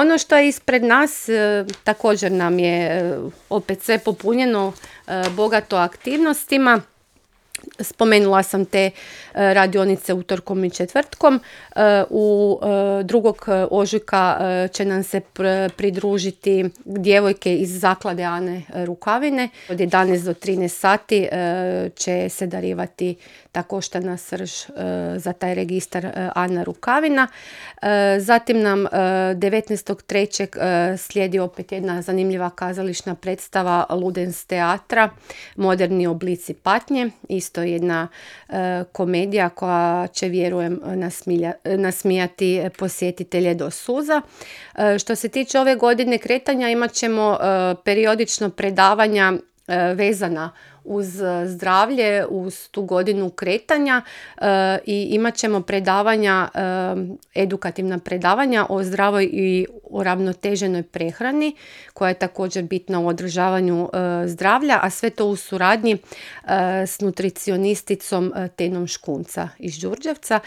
Ono što je ispred nas, također nam je opet sve popunjeno, bogato aktivnostima. Spomenula sam te radionice utorkom i četvrtkom. U 2. ožujka će nam se pridružiti djevojke iz zaklade Ane Rukavine. Od 11 do 13 sati će se darivati ta koštana srž za taj registar Ana Rukavina. Zatim nam 19.3. slijedi opet jedna zanimljiva kazališna predstava Ludens teatra, Moderni oblici patnje. Isto jedna komedija koja će, vjerujem, nasmijati posjetitelje do suza. Što se tiče ove godine kretanja, imat ćemo periodično predavanja vezana uz zdravlje, uz tu godinu kretanja i imat ćemo predavanja, edukativna predavanja o zdravoj i uravnoteženoj prehrani koja je također bitna u održavanju zdravlja, a sve to u suradnji s nutricionisticom Tenom Škunca iz Đurđevca.